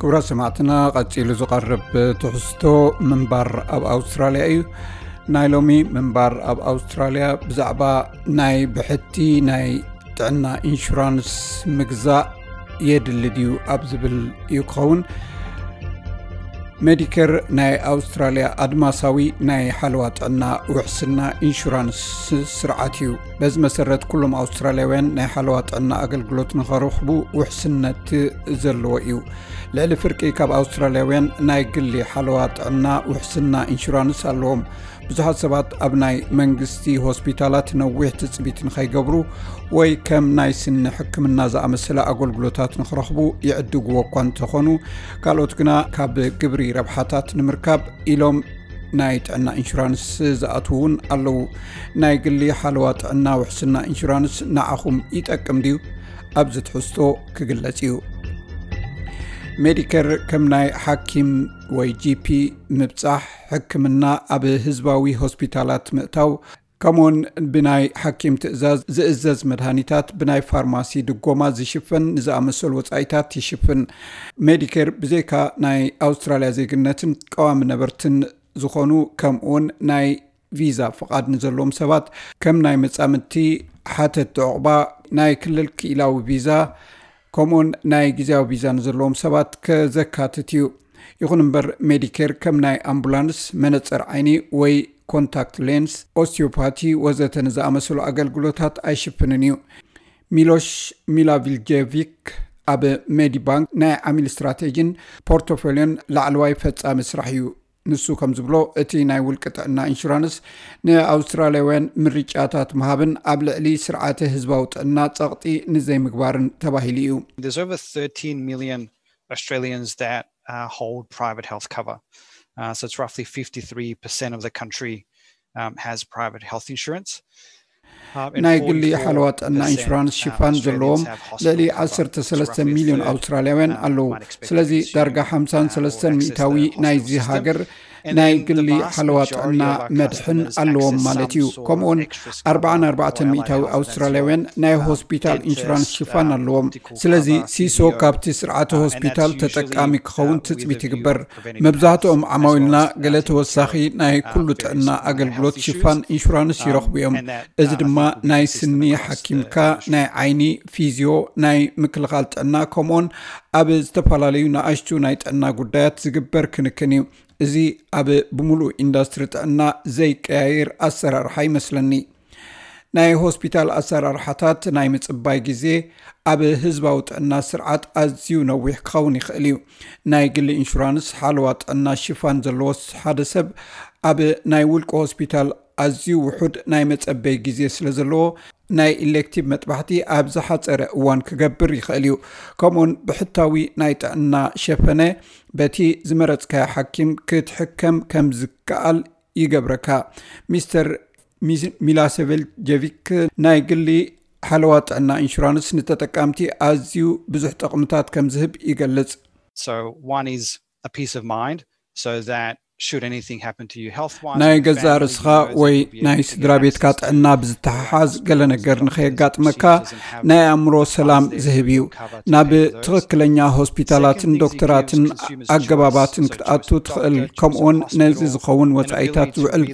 ክቡራት ሰማዕትና፣ ቀጺሉ ዝቐርብ ትሕዝቶ ምንባር ኣብ ኣውስትራልያ እዩ። ናይ ሎሚ ምንባር ኣብ ኣውስትራልያ ብዛዕባ ናይ ብሕቲ ናይ ጥዕና ኢንሹራንስ ምግዛእ የድሊ ድዩ ኣብ ዝብል እዩ ክኸውን። ሜዲኬር ናይ ኣውስትራልያ ኣድማሳዊ ናይ ሓለዋ ጥዕና ውሕስና ኢንሹራንስ ስርዓት እዩ። በዚ መሰረት ኩሎም ኣውስትራልያውያን ናይ ሓለዋ ጥዕና ኣገልግሎት ንኸረኽቡ ውሕስነት ዘለዎ እዩ። ልዕሊ ፍርቂ ካብ ኣውስትራልያውያን ናይ ግሊ ሓለዋ ጥዕና ውሕስና ኢንሹራንስ ኣለዎም። ብዙሓት ሰባት ኣብ ናይ መንግስቲ ሆስፒታላት ነዊሕ ትጽቢት ንኸይገብሩ ወይ ከም ናይ ስኒ ሕክምና ዝኣመሰለ ኣገልግሎታት ንኽረኽቡ ይዕድግዎ እኳ እንተኾኑ፣ ካልኦት ግና ካብ ግብሪ ረብሓታት ንምርካብ ኢሎም ናይ ጥዕና ኢንሹራንስ ዝኣትዉ እውን ኣለዉ። ናይ ግሊ ሓለዋ ጥዕና ውሕስና ኢንሹራንስ ንዓኹም ይጠቅም ድዩ? ኣብዚ ትሕዝቶ ክግለጽ እዩ። ሜዲኬር ከም ናይ ሓኪም ወይ ጂ ፒ ምብጻሕ፣ ሕክምና ኣብ ህዝባዊ ሆስፒታላት ምእታው፣ ከምኡውን ብናይ ሓኪም ትእዛዝ ዝእዘዝ መድሃኒታት ብናይ ፋርማሲ ድጎማ ዝሽፈን ንዝኣመሰሉ ወጻኢታት ይሽፍን። ሜዲኬር ብዘይካ ናይ ኣውስትራልያ ዜግነትን ቀዋሚ ነበርትን ዝኾኑ፣ ከምኡውን ናይ ቪዛ ፍቓድ ንዘለዎም ሰባት፣ ከም ናይ መጻምድቲ ሓተትቲ ዕቑባ፣ ናይ ክልል ክኢላዊ ቪዛ፣ ከምኡውን ናይ ግዜያዊ ቪዛ ንዘለዎም ሰባት ከዘካትት እዩ። ይኹን እምበር፣ ሜዲኬር ከም ናይ ኣምቡላንስ፣ መነጽር ዓይኒ ወይ ኮንታክት ሌንስ፣ ኦስቲዮፓቲ ወዘተ ንዝኣመሰሉ ኣገልግሎታት ኣይሽፍንን እዩ። ሚሎሽ ሚላቪልጀቪክ ኣብ ሜዲባንክ ናይ ዓሚል ስትራቴጂን ፖርቶፎሊዮን ላዕለዋይ ፈጻሚ ስራሕ እዩ። ንሱ ከም ዝብሎ፣ እቲ ናይ ውልቂ ጥዕና ኢንሹራንስ ንኣውስትራልያውያን ምርጫታት ምሃብን ኣብ ልዕሊ ስርዓተ ህዝባዊ ጥዕና ጸቕጢ ንዘይምግባርን ተባሂሉ እዩ። There's over thirteen million Australians that uh, hold private health cover. Uh, so it's roughly fifty-three percent of the country um, has private health insurance. ናይ ግሊ ሓለዋ ጥዕና ኢንሹራንስ ሽፋን ዘለዎም ልዕሊ ዓሰርተ ሰለስተ ሚልዮን ኣውስትራልያውያን ኣለዉ። ስለዚ ዳርጋ ሓምሳን ሰለስተን ሚእታዊ ናይዚ ሃገር ናይ ግሊ ሓለዋ ጥዕና መድሕን ኣለዎም ማለት እዩ። ከምኡውን ኣርባዓን ኣርባዕተን ሚእታዊ ኣውስትራልያውያን ናይ ሆስፒታል ኢንሹራንስ ሽፋን ኣለዎም። ስለዚ ሲሶ ካብቲ ስርዓተ ሆስፒታል ተጠቃሚ ክኸውን ትጽቢት ይግበር። መብዛሕትኦም ዓማዊልና ገለ ተወሳኺ ናይ ኩሉ ጥዕና ኣገልግሎት ሽፋን ኢንሹራንስ ይረኽቡ እዮም። እዚ ድማ ናይ ስኒ ሓኪምካ፣ ናይ ዓይኒ፣ ፊዝዮ፣ ናይ ምክልኻል ጥዕና፣ ከምኡውን ኣብ ዝተፈላለዩ ንኣሽቱ ናይ ጥዕና ጉዳያት ዝግበር ክንክን እዩ። እዚ ኣብ ብምሉእ ኢንዱስትሪ ጥዕና ዘይቀያየር ኣሰራርሓ ይመስለኒ። ናይ ሆስፒታል ኣሰራርሓታት ናይ ምጽባይ ግዜ ኣብ ህዝባዊ ጥዕና ስርዓት ኣዝዩ ነዊሕ ክኸውን ይኽእል እዩ። ናይ ግሊ ኢንሹራንስ ሓለዋ ጥዕና ሽፋን ዘለዎስ ሓደ ሰብ ኣብ ናይ ውልቂ ሆስፒታል ኣዝዩ ውሑድ ናይ መጸበይ ግዜ ስለ ዘለዎ፣ ናይ ኢሌክቲቭ መጥባሕቲ ኣብ ዝሓጸረ እዋን ክገብር ይኽእል እዩ። ከምኡውን ብሕታዊ ናይ ጥዕና ሸፈነ በቲ ዝመረጽካዮ ሓኪም ክትሕከም ከም ዝከኣል ይገብረካ። ሚስተር ሚላሴቬልጀቪክ ናይ ግሊ ሓለዋ ጥዕና ኢንሹራንስ ንተጠቃምቲ ኣዝዩ ብዙሕ ጥቕምታት ከም ዝህብ ይገልጽ። So one is a peace of mind, so that should anything happen to you health wise, ናይ ገዛእ ርስኻ ወይ ናይ ስድራ ቤትካ ጥዕና ብዝተሓሓዝ ገለ ነገር ንኸየጋጥመካ ናይ ኣእምሮ ሰላም ዝህብ እዩ። ናብ ትኽክለኛ ሆስፒታላትን ዶክተራትን ኣገባባትን ክትኣቱ ትኽእል፣ ከምኡውን ነዚ ዝኸውን ወጻኢታት ዝውዕል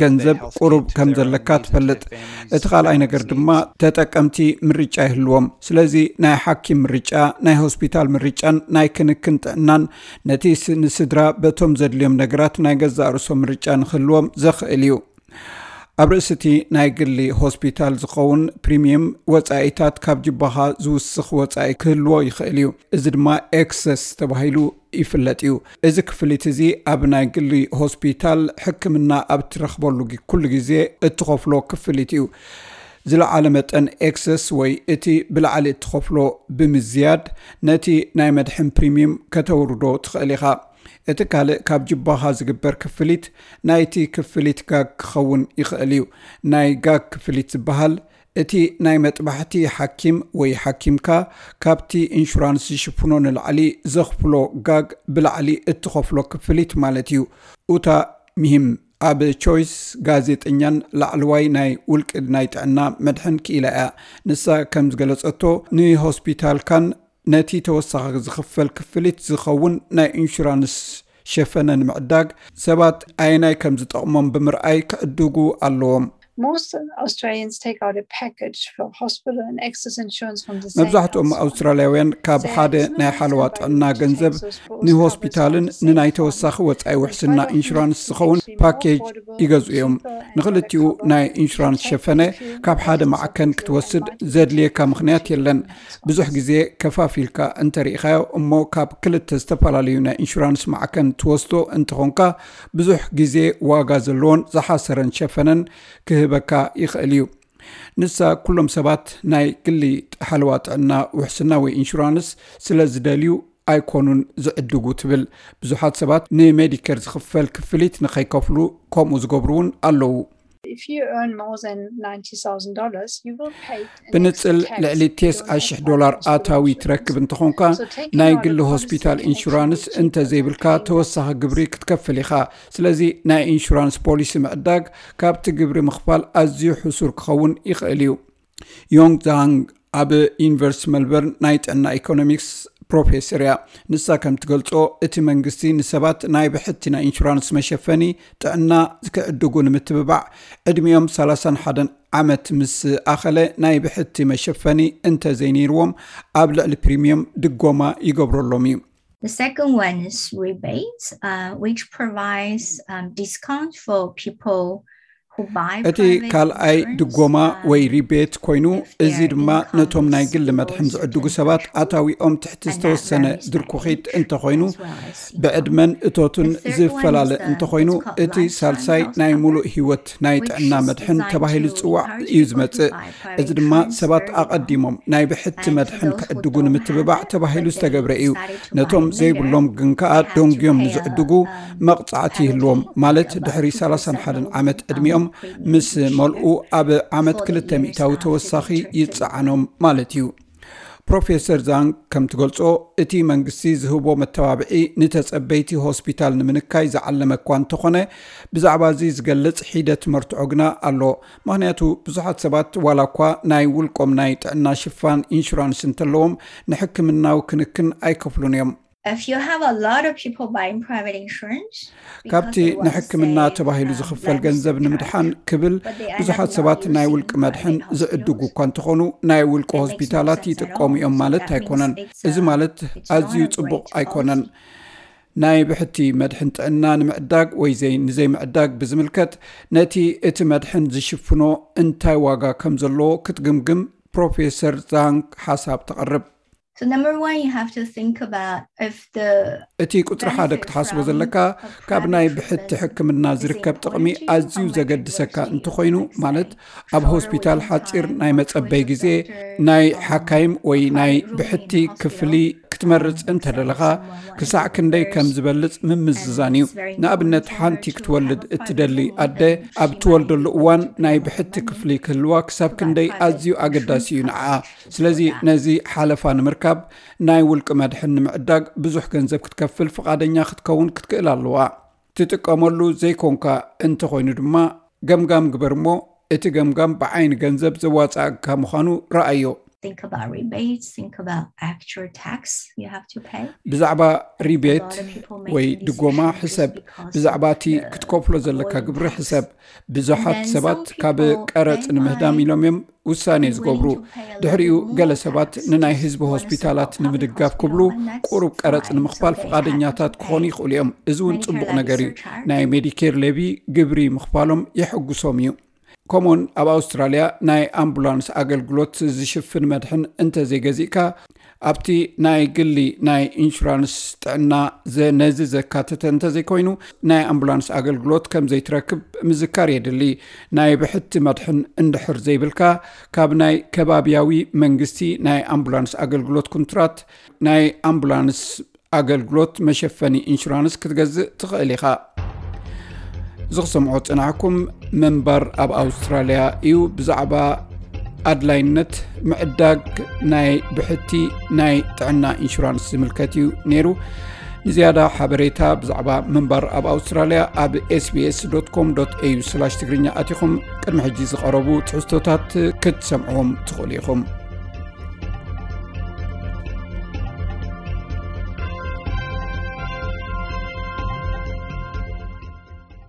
ገንዘብ ቁሩብ ከም ዘለካ ትፈልጥ። እቲ ካልኣይ ነገር ድማ ተጠቀምቲ ምርጫ ይህልዎም። ስለዚ ናይ ሓኪም ምርጫ፣ ናይ ሆስፒታል ምርጫን ናይ ክንክን ጥዕናን ነቲ ንስድራ በቶም ዘድልዮም ነገራት ናይ ገዛእ ርእሶም ምርጫ ንክህልዎም ዘኽእል እዩ። ኣብ ርእሲ እቲ ናይ ግሊ ሆስፒታል ዝኸውን ፕሪምየም ወጻኢታት ካብ ጅባኻ ዝውስኽ ወጻኢ ክህልዎ ይኽእል እዩ። እዚ ድማ ኤክሰስ ተባሂሉ ይፍለጥ እዩ። እዚ ክፍሊት እዚ ኣብ ናይ ግሊ ሆስፒታል ሕክምና ኣብ ትረኽበሉ ኩሉ ግዜ እትኸፍሎ ክፍሊት እዩ። ዝለዓለ መጠን ኤክሰስ ወይ እቲ ብላዕሊ እትኸፍሎ ብምዝያድ ነቲ ናይ መድሕን ፕሪምየም ከተውርዶ ትኽእል ኢኻ። እቲ ካልእ ካብ ጅባኻ ዝግበር ክፍሊት ናይቲ ክፍሊት ጋግ ክኸውን ይኽእል እዩ። ናይ ጋግ ክፍሊት ዝበሃል እቲ ናይ መጥባሕቲ ሓኪም ወይ ሓኪምካ ካብቲ ኢንሹራንስ ዝሽፍኖ ንላዕሊ ዘኽፍሎ ጋግ ብላዕሊ እትኸፍሎ ክፍሊት ማለት እዩ። ኡታ ሚሂም ኣብ ቾይስ ጋዜጠኛን ላዕለዋይ ናይ ውልቂ ናይ ጥዕና መድሕን ክኢላ እያ። ንሳ ከም ዝገለጸቶ ንሆስፒታልካን ነቲ ተወሳኺ ዝኽፈል ክፍሊት ዝኸውን ናይ ኢንሹራንስ ሸፈነ ንምዕዳግ ሰባት ኣየናይ ከም ዝጠቕሞም ብምርኣይ ክዕድጉ ኣለዎም። Most Australians take out a package for hospital and excess insurance from the same መብዛሕትኦም household. ኣውስትራልያውያን ካብ ሓደ ናይ ሓለዋ ጥዕና ገንዘብ ንሆስፒታልን ንናይ ተወሳኺ ወፃኢ ውሕስና ኢንሹራንስ ዝኸውን ፓኬጅ ይገዝኡ እዮም። ንክልቲኡ ናይ ኢንሹራንስ ሸፈነ ካብ ሓደ ማዕከን ክትወስድ ዘድልየካ ምኽንያት የለን። ብዙሕ ግዜ ከፋፊልካ እንተሪኢኻዮ እሞ ካብ ክልተ ዝተፈላለዩ ናይ ኢንሹራንስ ማዕከን ትወስዶ እንተኾንካ ብዙሕ ግዜ ዋጋ ዘለዎን ዝሓሰረን ሸፈነን ክህበካ ይኽእል እዩ። ንሳ ኩሎም ሰባት ናይ ግሊ ሓለዋ ጥዕና ውሕስና ወይ ኢንሹራንስ ስለ ዝደልዩ ኣይኮኑን ዝዕድጉ ትብል። ብዙሓት ሰባት ንሜዲኬር ዝኽፈል ክፍሊት ንኸይከፍሉ ከምኡ ዝገብሩ እውን ኣለዉ። If you earn more than ninety thousand dollars, you will pay an ብንጽል extra tax ልዕሊ if you ቴስዓ don't ሽሕ have ዶላር hospital ኣታዊ insurance. ትረክብ እንተኾንካ So taking ናይ out a ግሊ policy ሆስፒታል can actually ኢንሹራንስ be cheaper እንተዘይብልካ than paying ተወሳኺ ግብሪ ክትከፍል ኢኻ። ስለዚ ናይ ኢንሹራንስ ፖሊሲ ምዕዳግ ካብቲ ግብሪ ምኽፋል ኣዝዩ ሕሱር ክኸውን ይኽእል እዩ። ዮንግ ዛንግ ኣብ ዩኒቨርሲቲ መልበርን ናይ ጥዕና ኢኮኖሚክስ ፕሮፌሰር እያ። ንሳ ከም ትገልጾ እቲ መንግስቲ ንሰባት ናይ ብሕቲ ናይ ኢንሹራንስ መሸፈኒ ጥዕና ክዕድጉ ንምትብባዕ ዕድሚኦም ሰላሳን ሓደን ዓመት ምስ ኣኸለ ናይ ብሕቲ መሸፈኒ እንተዘይነይርዎም ኣብ ልዕሊ ፕሪሚየም ድጎማ ይገብረሎም እዩ። The second one is rebates, uh, which provides um, discount for people who buy እቲ private ካልኣይ insurance, ድጎማ um, ወይ ሪቤት ኮይኑ if እዚ their ድማ income ነቶም ናይ is ግሊ below መድሕን certain ዝዕድጉ ሰባት threshold, ኣታዊኦም ትሕቲ and that ዝተወሰነ varies by ድርኩኺት age እንተኾይኑ as well as income. ብዕድመን እቶትን The third ዝፈላለ one is the እንተኾይኑ what's called እቲ lifetime ሳልሳይ health ናይ cover, ሙሉእ ህይወት ናይ which ጥዕና is መድሕን designed ተባሂሉ to ዝፅዋዕ encourage እዩ people to ዝመፅእ። buy እዚ private ድማ insurance ሰባት early on. ኣቐዲሞም ናይ ብሕቲ And for መድሕን those who ክዕድጉ don't ንምትብባዕ have, ተባሂሉ but they ዝተገብረ እዩ። decided to buy ነቶም it later, ዘይብሎም ግን ከኣ they have to ደንጉዮም pay a, ንዝዕድጉ um, መቕጻዕቲ penalty ይህልዎም። of ማለት about ድሕሪ two percent ሰላሳን ሓደን over the ዓመት ዕድሚኦም minimum premium ምስ each year. መልኡ ኣብ ዓመት For the ክልተ years ሚእታዊ after the ተወሳኺ term ይጸዓኖም ማለት እዩ። ፕሮፌሰር ዛንግ ከም ትገልጾ እቲ መንግስቲ ዝህቦ መተባብዒ ንተጸበይቲ ሆስፒታል ንምንካይ ዝዓለመ እኳ እንተኾነ ብዛዕባ እዚ ዝገልጽ ሒደት መርትዖ ግና ኣሎ። ምኽንያቱ ብዙሓት ሰባት ዋላ እኳ ናይ ውልቆም ናይ ጥዕና ሽፋን ኢንሹራንስ እንተለዎም ንሕክምናዊ ክንክን ኣይከፍሉን እዮም። If you have a lot of people buying private insurance, ካብቲ ንሕክምና ተባሂሉ ዝኽፈል ገንዘብ ንምድሓን ክብል ብዙሓት ሰባት ናይ ውልቂ መድሕን ዝዕድጉ እኳ እንተኾኑ ናይ ውልቂ ሆስፒታላት ይጥቀሙ እዮም ማለት ኣይኮነን። እዚ ማለት ኣዝዩ ጽቡቕ ኣይኮነን። ናይ ብሕቲ መድሕን ጥዕና ንምዕዳግ ወይ ዘይ ንዘይምዕዳግ ብዝምልከት ነቲ እቲ መድሕን ዝሽፍኖ እንታይ ዋጋ ከም ዘለዎ ክትግምግም ፕሮፌሰር ዛንግ ሓሳብ ተቕርብ። So number one, you have to think about if the እቲ ቁፅሪ ሓደ ክትሓስቦ ዘለካ ካብ ናይ ብሕቲ ሕክምና ዝርከብ ጥቕሚ ኣዝዩ ዘገድሰካ እንተኾይኑ፣ ማለት ኣብ ሆስፒታል ሓፂር ናይ መፀበይ ግዜ፣ ናይ ሓካይም ወይ ናይ ብሕቲ ክፍሊ ክትመርፅ እንተደለኻ ክሳዕ ክንደይ ከም ዝበልፅ ምምዝዛን እዩ። ንኣብነት ሓንቲ ክትወልድ እትደሊ ኣደ ኣብ ትወልደሉ እዋን ናይ ብሕቲ ክፍሊ ክህልዋ ክሳብ ክንደይ ኣዝዩ ኣገዳሲ እዩ ንዓኣ። ስለዚ ነዚ ሓለፋ ንምርካብ ናይ ውልቂ መድሕን ንምዕዳግ ብዙሕ ገንዘብ ክትከፍል ፍቓደኛ ክትከውን ክትክእል ኣለዋ። ትጥቀመሉ ዘይኮንካ እንተኾይኑ ድማ ገምጋም ግበር እሞ እቲ ገምጋም ብዓይኒ ገንዘብ ዘዋፅኣካ ምዃኑ ረኣዮ። Think about rebates, think about actual tax you have to pay. ብዛዕባ ሪቤት ወይ ድጎማ ሕሰብ። ብዛዕባ እቲ ክትከፍሎ ዘለካ ግብሪ ሕሰብ። ብዙሓት ሰባት ካብ ቀረፅ ንምህዳም ኢሎም እዮም ውሳኔ ዝገብሩ። ድሕሪኡ ገለ ሰባት ንናይ ህዝቢ ሆስፒታላት ንምድጋፍ ክብሉ ቁሩብ ቀረፅ ንምኽፋል ፍቓደኛታት ክኾኑ ይኽእሉ እዮም። እዚ እውን ፅቡቕ ነገር እዩ። ናይ ሜዲኬር ሌቪ ግብሪ ምኽፋሎም የሐጉሶም እዩ። ከምኡውን ኣብ ኣውስትራልያ ናይ ኣምቡላንስ ኣገልግሎት ዝሽፍን መድሕን እንተዘይገዚእካ ኣብቲ ናይ ግሊ ናይ ኢንሹራንስ ጥዕና ነዚ ዘካተተ እንተዘይኮይኑ ናይ ኣምቡላንስ ኣገልግሎት ከም ዘይትረክብ ምዝካር የድሊ። ናይ ብሕቲ መድሕን እንድሕር ዘይብልካ ካብ ናይ ከባብያዊ መንግስቲ ናይ ኣምቡላንስ ኣገልግሎት ኩንትራት ናይ ኣምቡላንስ ኣገልግሎት መሸፈኒ ኢንሹራንስ ክትገዝእ ትኽእል ኢኻ። ዝኽሰምዖ ጽናሕኩም ምንባር ኣብ ኣውስትራልያ እዩ። ብዛዕባ ኣድላይነት ምዕዳግ ናይ ብሕቲ ናይ ጥዕና ኢንሹራንስ ዝምልከት እዩ ነይሩ። ንዝያዳ ሓበሬታ ብዛዕባ ምንባር ኣብ ኣውስትራልያ ኣብ ኤስቢኤስ ዶት ኮም ዶት ኤዩ ስላሽ ትግርኛ ኣቲኹም ቅድሚ ሕጂ ዝቐረቡ ትሕዝቶታት ክትሰምዕዎም ትኽእሉ ኢኹም።